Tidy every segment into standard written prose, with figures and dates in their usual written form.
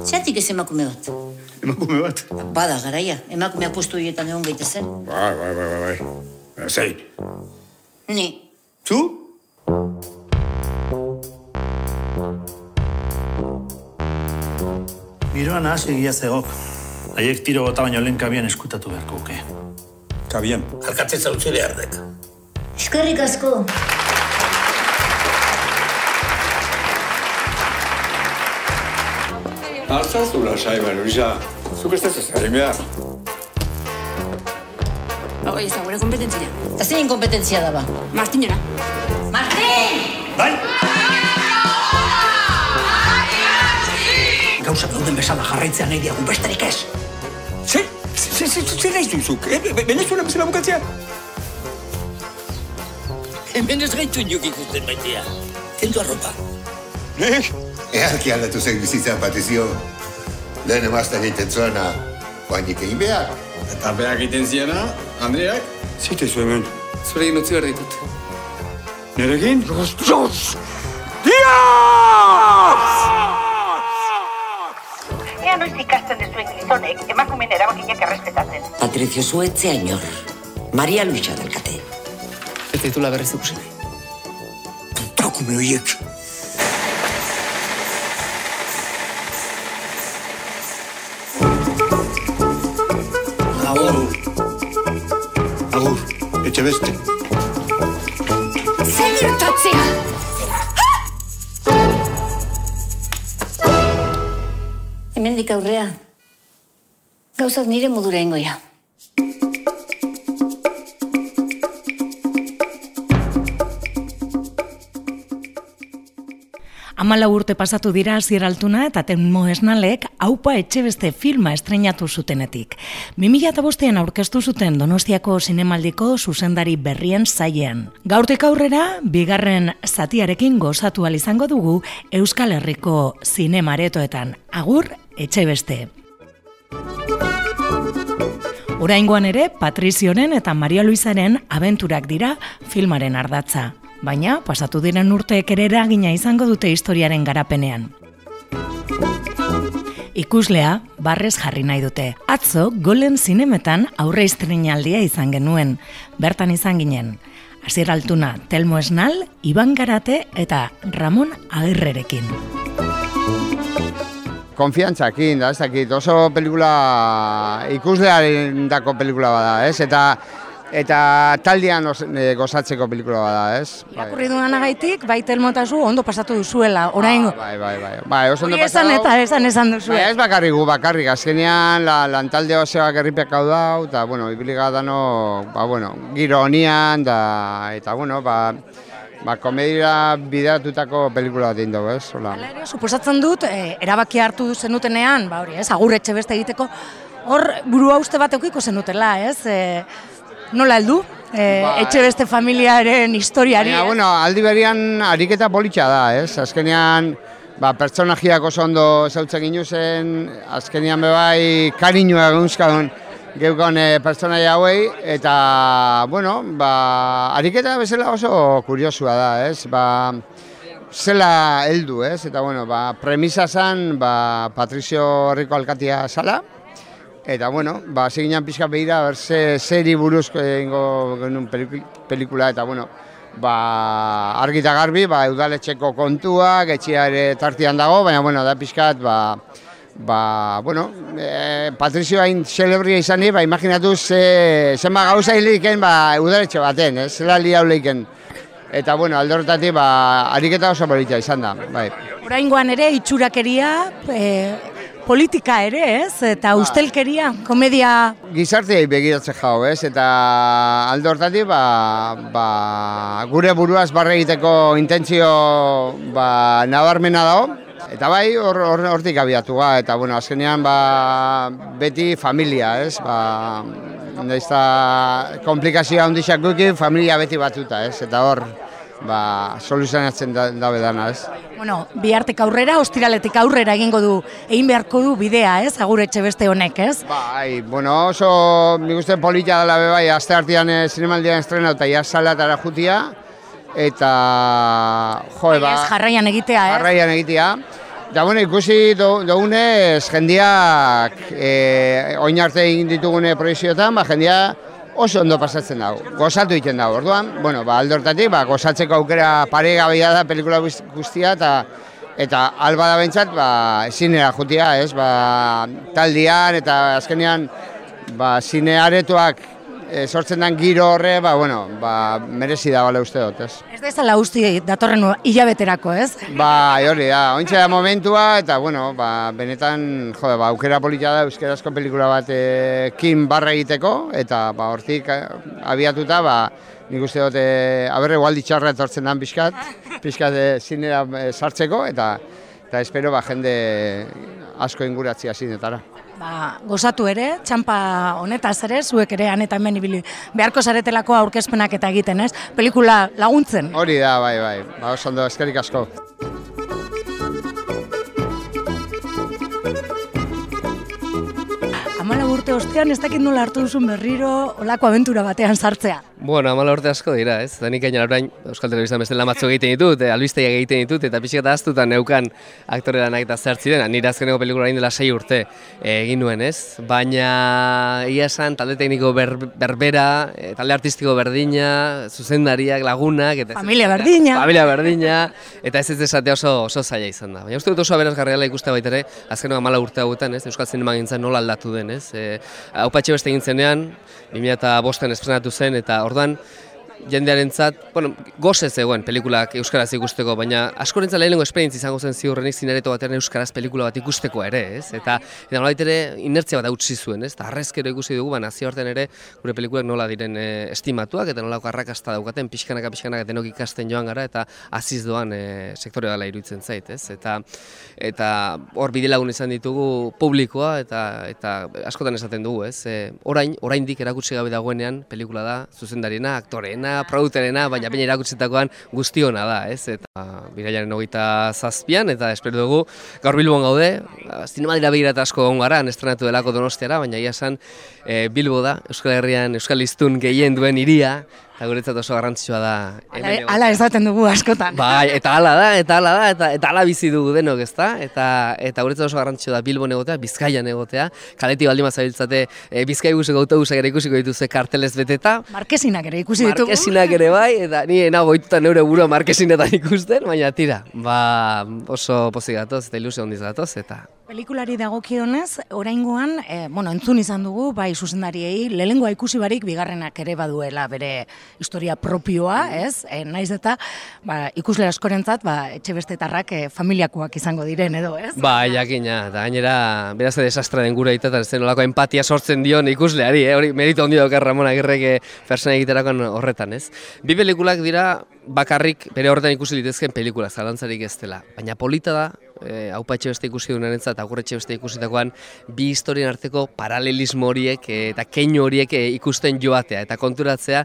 Zeratik ez emakume bat? Emakume bat? Bada, garaia. Emakumea postu horietan egon gaitezen. Bai. Zein? Ni. Zu? Giroan ahaz egia zegok. Haiek tiro gota baino lehen kabian eskutatu beharko uke. Kabian? Alkatzen zautzi behardek. Eskerrik asko. Artzazu lasai, Luisa. Zuk ez ez egin behar. Hoi, ez da, gure kompetentzia. Eta zein kompetentzia daba? Martinera. Martin! Bai! Gauzak dauden bezala jarraitzea nahi diagun besterik ez. Zer nahi duzuk? Venezuela bezala bukatzea? Hemen ez gaitu inok ikusten baitea. Kendu arropa. Nek? Earki aldatu zen bizitzan, Patrizio. Lehen emazta egiten zuena, guainik egin behar. Eta beak egiten ziena, Andreak? Zitezu hemen. Zurekin utzi behar ditut. Nerekin? Dios! Ea noiz ikasten dezuen gizonek, emakumeen erabakinak errespetatzen. Patricio Zuetzea inor. Maria Luisa delkate. Ez ditula berriz ikusi. Trakume horiek. Agur, etxe beste. Zer gertatzea! Hemendik aurrea. Gauzak nire modura ingoia. Hamalau urte pasatu dira Asier Altuna eta Telmo Esnalek Aupa Etxebeste filma estreinatu zutenetik. 2005an aurkeztu zuten Donostiako Zinemaldiko zuzendari berrien sailean. Gaurtik aurrera, bigarren zatiarekin gozatu ahal izango dugu Euskal Herriko zinemaretoetan. Agur Etxebeste! Oraingoan ere, Patrizioren eta Maria Luisaren abenturak dira filmaren ardatza. Baina, pasatu diren urteek ere eragina izango dute historiaren garapenean. Ikuslea, barrez jarri nahi dute. Atzo, Golen zinemetan aurre estreinaldia izan genuen. Bertan izan ginen. Asier Altuna, Telmo Esnal, Iban Garate eta Ramon Agirrerekin. Konfiantzakin, da, ez dakit, oso pelikula, ikuslearen dako pelikula bada, ez? Eta taldean gozatzeko pelikula bada, ez? Irakurri duanagaitik, bai Telmo eta zu ondo pasatu duzuela, oraingo. Bai, oso ondo pasatu. Hori esan duzu. Bai, ez bakarrik, azkenean lantalde osoak erripeak hau dau, eta, bueno, ibiliga dano, giro honian, eta, komedira bideratutako pelikula bat egin dugu, ez? Hala ere, suposatzen dut, erabaki hartu zenutenean, Agur Etxebeste egiteko, hor burua uste bat eukiko zenutela, ez? Nola heldu? Etxebeste familiaren historiari. Aldi berian ariketa politxa da, ez? Azkenean, pertsonajiak oso ondo zautzen ginuzen, azkenean bebai kariñua egunzkadun geukon pertsonaia hauei, eta, ariketa bezala oso kuriosua da, ez? Zela heldu, ez? Eta, premisa zan, Patrizio Herriko alkatia zala, eta, ziginan pixka behira, zeri buruzko egingo genuen pelikula, eta, argi eta garbi, udaletxeko kontuak, etxea ere tartian dago, baina, da pixkat, Patrizio hain celebria izan imaginatu zenba gauza hiliken udaletxe baten, zela li hauleiken. Eta, alde horretatik, ariketa oso politia izan da, bai. Oraingoan ere, itxurakeria, politika ere, ez? Eta ustelkeria, komedia... Gizarteai begiratzen jau, ez? Eta alde horretatik, gure buruaz barre egiteko intentzio nabarmena dago. Eta bai, hortik abiatu eta azkenean beti familia, ez? Komplikazioa handixak guki, familia beti batuta, ez? Eta hor, soluzionatzen dabe dana, ez? Bihartek aurrera, ostiraletik aurrera egin beharko du bidea, ez? Agur Etxebeste honek, ez? Bai, oso, nik uste polita dela bebai, aste hartian zinemaldian estrena eta jasalatara jutia, eta, jarraian egitea, ez? Jarraian egitea, Da bueno, ikusi dugunez, jendiak oin arte egin ditugune proiezioetan, jendia oso ondo pasatzen dago, gozatu egiten dago. Orduan, bueno, alde hortatik, gozatzeko aukera paregabea da pelikula guztia, eta alba da bentsat, zinera jutia, ez, taldian, eta azkenean, zinearetoak sortzen den giro horre, merezi da bale uste dut, ez. Ez da izala usti datorren hilabeterako, ez? Hori da, ointxe da momentua, eta, benetan, aukera polita da euskarazko pelikula batekin barra egiteko, eta hortik abiatuta, nik uste dut, aberre gualdi txarra etortzen den pixkat zinera sartzeko, eta espero jende asko inguratzea zinetara. Gozatu ere, txampa honetaz ere, zuek ere han eta hemen ibili beharko zaretelako aurkezpenak eta egiten, ez? Pelikula laguntzen. Hori da, bai. Oso ondo, eskerrik asko. Amala urte ostean, ez dakit nola hartu duzun berriro olako abentura batean sartzea. Bueno, 14 urte asko dira, ez? Danik gainera orain Euskal Telebistan beste lamatzo egiten ditut, albistegiak egiten ditut, eta pixka eta ahaztuta neukan aktore lanak eta zertziren, nire azkeneko pelikula hain dela 6 urte egin nuen, ez? Baina ia esan talde tekniko berbera, talde artistiko berdina, zuzendariak, lagunak, eta familia berdina, eta ez esatea oso zaila izan da. Baina uste dut oso aberazgarria ikuste baitere, azkeneko 14 urte hauetan, ez? Euskal zinemagintzan nola aldatu den, ez? Aupa Etxebeste egin zenean, 2005an estrenatu zen, eta orduan jendearentzat, gozez zegoen pelikulak euskaraz ikusteko, baina askorentzat lehenengo esperientzia izango zen ziurrenik zinereto batean euskaraz pelikula bat ikusteko ere, ez? Eta nolabait ere inertzia bat utzi zuen, ez? Eta harrezkero ikusi dugu, nazioartean ere gure pelikulak nola diren estimatuak, eta nolako arrakasta daukaten, pixkanaka denok ikasten joan gara, eta aziz doan sektore dela iruditzen zait, ez? Eta hor bidelagun izan ditugu publikoa, eta askotan esaten dugu, ez? Oraindik erakutsi gabe dagoenean pelikula da, zuzendariena, aktoreena, produktorena, baina baina irakutsitakoan guztiona da, ez? Eta birailaren 27an, eta espero dugu gaur Bilbon gaude, zinemadira begirata asko egon gara, estrenatu delako Donostiara, baina ia esan Bilbo da, Euskal Herrian Euskal hiztun gehien duen hiria, eta guretzat oso garrantzitsua da. Hala esaten dugu askotan. Bai, eta hala bizi dugu denok, ezta? Eta guretzat oso garrantzitsua da Bilbon egotea, Bizkaian egotea, kaletik baldin bazabiltzate Bizkaibuseko autobusak ere ikusiko dituzte kartelez beteta. Markesinak ere ikusi ditugu. Markesinak ere bai, eta ni nago goituta neure burua markesinetan ikusten, baina tira, oso pozik gatoz eta ilusio handiz gatoz, eta... Pelikulari dagokionez, oraingoan, entzun izan dugu, bai zuzendariei, lehengoa ikusi barik, bigarrenak ere baduela bere historia propioa, ez? Naiz eta ikusle askorentzat, etxebestetarrak familiakoak izango diren edo, ez? Jakina, eta gainera, beraz desastra den gura eta zen olako empatia sortzen dion ikusleari, hori merito handi daukar Ramon Agirrek persona egiterakoan horretan, ez? Bi pelikulak dira bakarrik bere horretan ikusi litezken pelikula, zalantzarik ez dela, baina polita da, Aupa Etxebeste ikusi duenarentzat eta Agur Etxebeste ikusitakoan bi historien arteko paralelismo horiek eta keinu horiek ikusten joatea eta konturatzea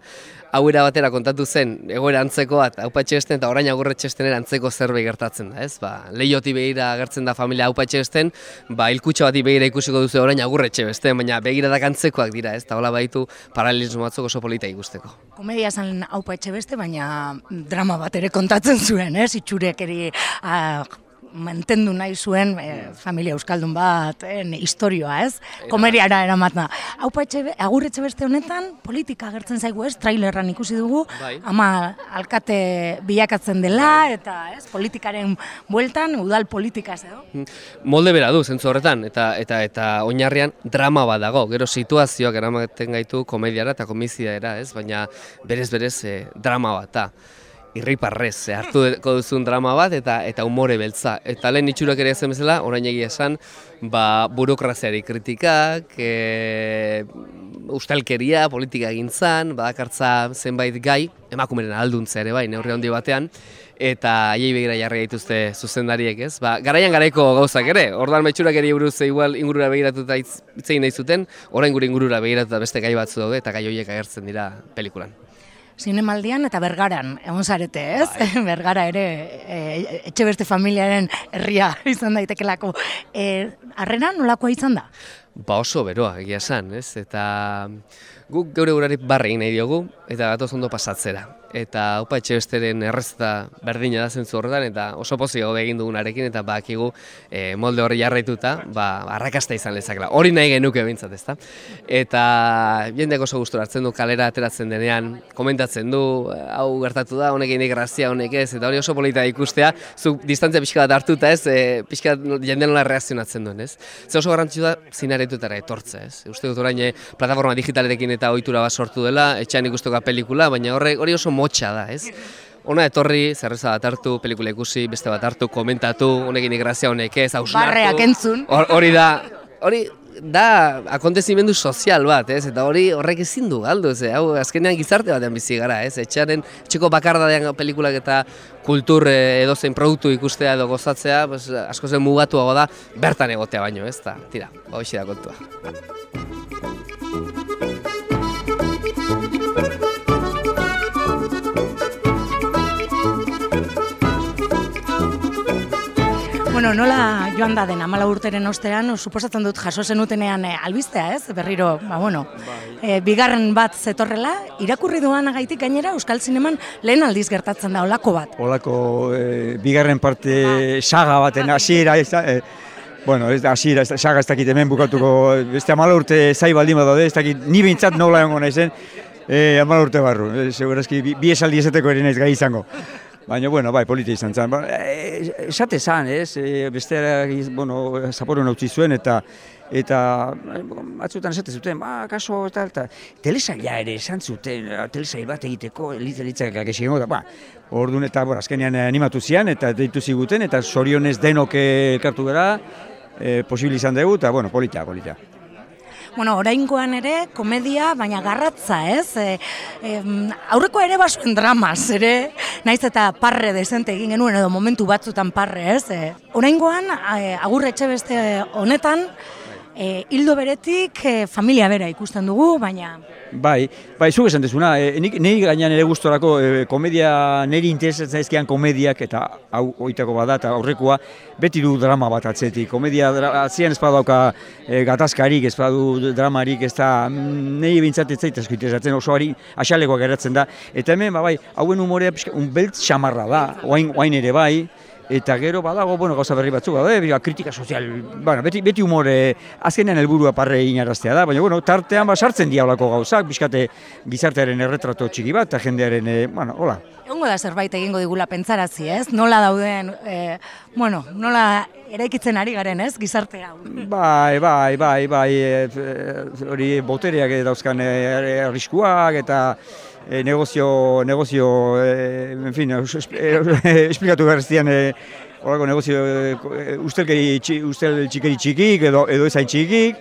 hau era batera kontatu zen egoera antzekoa Aupa Etxebesten eta orain Agur Etxebesten antzeko zerbait gertatzen da, ez? Leihotik begira agertzen da familia Aupa Etxebesten, hilkutxo bati begira ikusiko duzu orain Agur Etxebesten, baina begiradak antzekoak dira, ez? Ta hola baitu paralelismo batzuk oso polita ikusteko. Komedia zen Aupa Etxebeste, baina drama bat ere kontatzen zuen, ez? Itxurekeri mantendu nahi zuen familia euskaldun bat, historioa, ez? Komediara eramatna. Agur Etxebeste honetan politika agertzen zaigu, ez? Trailerran ikusi dugu, ama alkate bilakatzen dela, eta politikaren bueltan, udal politikaz edo? Molde bera du, zentzu horretan, eta oinarrian drama bat dago, gero situazioak eramaten gaitu komediara eta komiziara, ez? Baina berez drama bat da. Irriparrez, hartuko duzun drama bat eta umore beltza. Eta lehen itxurak ere zen bezala, orain egia esan, burokraziari kritikak, ustelkeria, politika egintzan, badakartza zenbait gai, emakumeren alduntza ere bai, neurri handi batean, eta haiei begira jarri gaituzte zuzendariek, ez? Garaian garaiko gauzak ere, orduan itxurak ere buruz igual ingurura begiratuta hitzein nahi zuten, orain gure ingurura begiratuta beste gai batzu daude, eta gai horiek agertzen dira pelikulan. Zinemaldian eta Bergaran, egon zarete, ez? Bergara ere Etxebeste familiaren herria izan daitekelako. Harrera nolakoa izan da? ba oso beroa egia esan, ez? Eta guk geure urari barre egin nahi diogu eta gatoz ondo pasatzera. Eta Aupa Etxebesteren errezeta berdina da zentzu horretan, eta oso pozik gaude egin dugunarekin, eta badakigu molde horri jarraituta, arrakasta izan lezakela. Hori nahi genuke behintzat, ezta? Eta jendeak oso gustura hartzen du, kalera ateratzen denean, komentatzen du, hau gertatu da, honek egin grazia, honek ez, eta hori oso polita ikustea, zuk distantzia pixka bat hartuta, ez, pixka jende nola reakzionatzen duen, ez? Ze oso garrantzitsua da zinaretutara etortze, ez? Uste dut orain plataforma digitalerekin eta ohitura bat sortu dela, etxean ikustuko pelikula, baina hori oso motxa da, ez? Ona etorri, zerreza bat hartu, pelikula ikusi, beste bat hartu, komentatu, honekin grazia, honek ez, hausnartu. Barreak entzun. Hori da akontezimendu sozial bat, ez? Eta horrek ezin du galdu, ez? Hau azkenean gizarte batean bizi gara, ez? Etxeko bakardadean pelikulak eta kultur edozein produktu ikustea edo gozatzea, asko zen mugatuago da, bertan egotea baino, ez? Tira, hoxe da kontua. Bueno, nola joan da den 14 urteren ostean, suposatzen dut jaso zenutenean albistea, ez? Berriro, bigarren bat zetorrela, irakurri duanagaitik gainera Euskal Zineman lehen aldiz gertatzen da olako bat. Olako bigarren parte saga baten hasiera, hasiera saga ez dakit hemen bukatuko, beste 14 urte zai baldin badaude, ez dakit ni behintzat nola egongo naizen, 14 urte barru, segurazki bi esaldi esateko ere naiz gai izango. Baina, bai, polita izan zen. Esate zan, ez? Besteak, zaporon utzi zuen eta batzutan esate zuten, kaso, eta telesaila ere esan zuten, telesail bat egiteko, litzak egingo da, orduan eta azkenean animatu zian eta deitu ziguten eta zorionez denok elkartu gara, posibil izan dugu eta, polita. Oraingoan ere komedia, baina garratza, ez? Aurrekoa ere basuen dramaz, ere? Naiz eta parre dezente egin genuen edo momentu batzutan parre, ez? Oraingoan, Agur Etxebeste honetan, hildo beretik familia bera ikusten dugu, baina... Bai, zuk esan dezuna, niri gainean ere gustorako komedia, niri interesatzen zaizkian komediak, eta hau oitako bada, eta aurrekoa, beti du drama bat atzetik. Komedia atzean ez badauka gatazkarik, ez badu dramarik, ez da, niri bintzat ez zaitezko interesatzen, oso asalekoak geratzen da. Eta hemen, hauen umorea beltz xamarra da, oain ere bai, eta gero badago, gauza berri batzuk, kritika sozial, beti humore, azkenean helburua parre inaraztea da, baina, tartean sartzen diablako gauzak, bizkate gizartearen erretrato txiki bat, eta jendearen, hola. Egongo da zerbait egingo digula pentsarazi, ez? Nola dauden, nola eraikitzen ari garen, ez? Gizarte hau. Bai, hori botereak dauzkan arriskuak, eta negozio, en fin, esplikatu berreztian, horako negozio, ustel txikeri txikik, edo ezain txikik,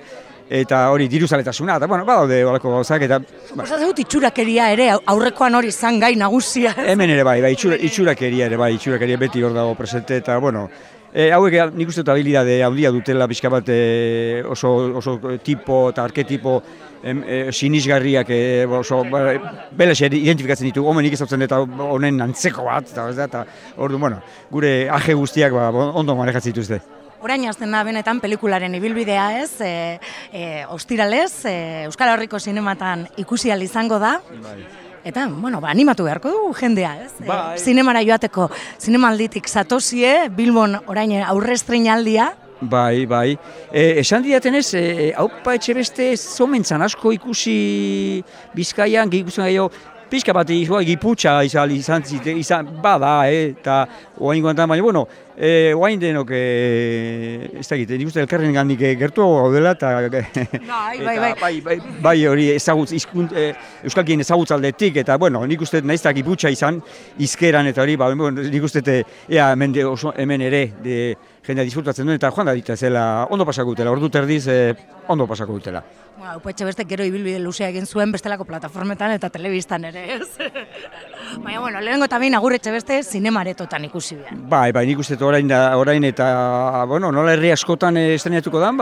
eta hori diruzaletasuna, eta badaude horako gauzak, eta... Osatzen dut itxurakeria ere, aurrekoan hori zan gai nagusia. Hemen ere itxurakeria beti hor dago presente, eta, hauek nik uste dut habilidade handia dutela pixka bat oso tipo eta arketipo sinisgarriak beles identifikatzen ditu, homenik ezautzen eta honen antzeko bat, eta ordu, gure aje guztiak ondo manejatzen dituzte. Orain hasten da benetan pelikularen ibilbidea, ez? Ostiralez, Euskal Herriko zinematan ikusi ahal izango da. Eta, animatu beharko dugu jendea, ez? Zinemara joateko, zinemalditik zatozie, Bilbon orain aurrestreinaldia. Bai. Esan didaten ez, Aupa Etxebeste zomentzan asko ikusi Bizkaian, ikusten gaio, pixka bat giputxa izan bada, eta oain guantan, baina, oain denok, ez da egiten, nik uste elkarren gandik gertuago gaudela, eta bai hori euskalkien ezagutzaldetik, eta nik uste nahiz da giputxa izan, izkeran, eta hori, nik uste hemen ere jendea disfrutatzen duen, eta joan da dita zela, ondo pasako dutela, ordu terdiz, ondo pasako dutela. Aupa Etxebeste gero ibilbide luzea egin zuen bestelako plataformetan eta telebistan ere, ez? Baina, lehenengo eta behin Agur Etxebeste zinemaretotan ikusi ikusi behar. Bai, nik uste orain eta, bueno, nola herri askotan estrenatuko dan,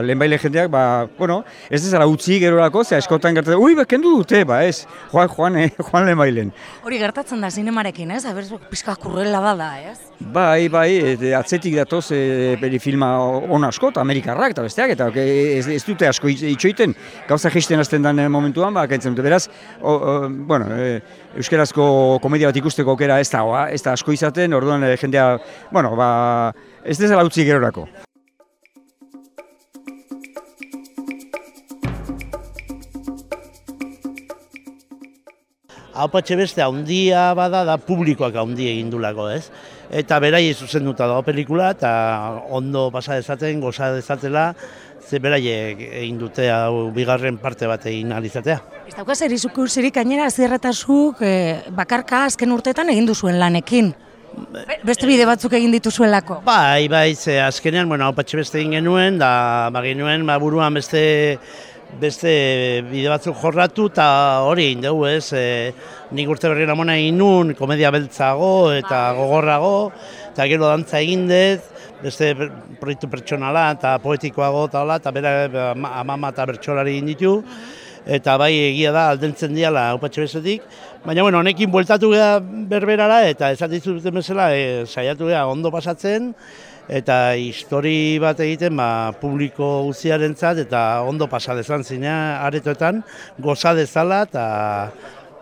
lehenbaile jendeak, bueno, ez dezala utzi gerorako, ze askotan gertatzen, kendu dute, ez, joan lehenbailen. Hori gertatzen da zinemarekin, ez? Aber, pizka kurrela bada, ez? Bai, atzetik datoz filma on asko, eta Amerikarrak eta besteak, eta ez dute asko itxoiten, gauza geisten azten den momentuan, kentzen dute, beraz, bueno, euskarazko komedia bat ikusteko aukera ez da asko izaten, orduan jendea, bueno, ez dezala utzi gerorako. Aupa Etxebeste handia bada da publikoak handi egin dulako, ez? Eta beraiei zuzenduta dago pelikula eta ondo pasa dezaten, goza dezatela, ze beraiek egin dute hau bigarren parte bat egin ahal izatea. Ez daukaz zirik gainera zierretazuk bakarka azken urteetan egin duzuen lanekin. Beste bide batzuk egin dituzuelako? Bai, ze azkenean, Aupa Etxebeste egin genuen, da genuen buruan beste bide batzuk jorratu eta hori egin dugu, ez? Nik urte berri namona egin nun, komedia beltzago eta gogorrago, eta gero dantza egin dut, beste proiektu pertsonala eta poetikoago eta hola, eta bera amama eta bertsolari egin ditu, eta bai egia da aldentzen diala Aupa Etxebestetik, baina honekin bueltatu geha berberara eta esatzen duten bezala saiatu geha ondo pasatzen, eta histori bat egiten publiko guztiarentzat eta ondo pasa dezan zinea aretoetan, goza dezala eta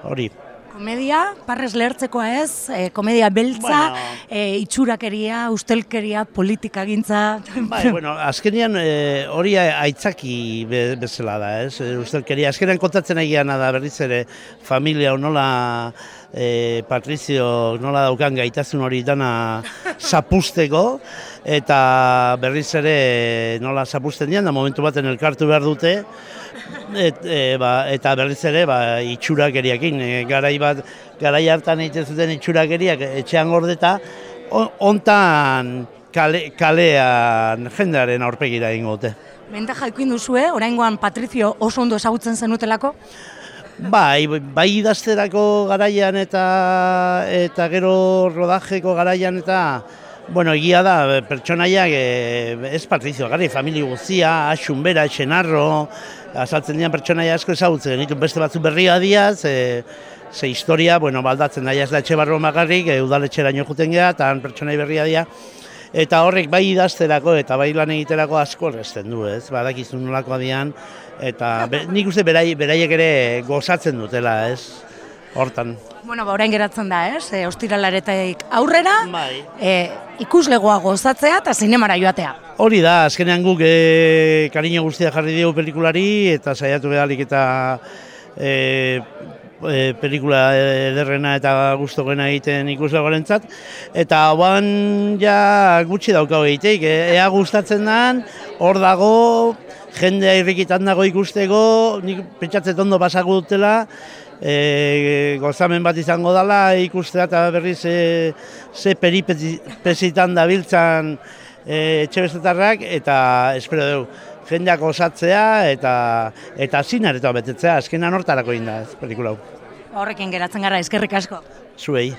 hori. Komedia, parrez lehertzekoa ez, komedia beltza, itxurakeria, ustelkeria, politikagintza. Bai, azkenean hori aitzaki bezala da, ez? Ustelkeria, azkenean kontatzen egiana da berriz ere familia nola Patrizio nola daukan gaitasun hori dana zapusteko, eta berriz ere nola zapusten dian, da momentu baten elkartu behar dute, eta berriz ere itxurakeriakin, garai hartan egiten zuten itxurakeriak etxean gordeta, hontan kalean jendearen aurpegira egingo dute. Bentaja ikuin duzue, oraingoan Patrizio oso ondo ezagutzen zenutelako? Bai idazterako garaian eta gero rodajeko garaian eta egia da, pertsonaiak ez Patrizio, gari familia guztia, Asun bera, Etxenarro, azaltzen dian pertsonaia asko ezagutzen genituen beste batzu berria diaz, ze historia, baldatzen daia ez da etxe barro magarrik, udaletxeraino juten geha, eta pertsonai berria dia, eta horrek bai idazterako eta bai lan egiterako asko erresten du, ez, badakizun nolakoa dian, eta nik uste beraiek ere gozatzen dutela, ez, hortan. Orain geratzen da, ez, ostiralaretik aurrera, ikuslegoa gozatzea eta zinemara joatea. Hori da, azkenean guk kariño guztia jarri dugu pelikulari eta saiatu behalik eta pelikula ederrena eta gustokoena egiten ikuslegoarentzat, eta hauan ja gutxi daukau egiteik, ea gustatzen den, hor dago, jendea irrikitan dago ikusteko, nik pentsatzen ondo pasako dutela, gozamen bat izango dela ikustea eta berriz ze peripezitan dabiltzan Etxebestetarrak, eta espero dugu jendeak osatzea eta zinaretoa betetzea, azkenan hortarako egin da pelikula hau. Horrekin geratzen gara, eskerrik asko. Zuei.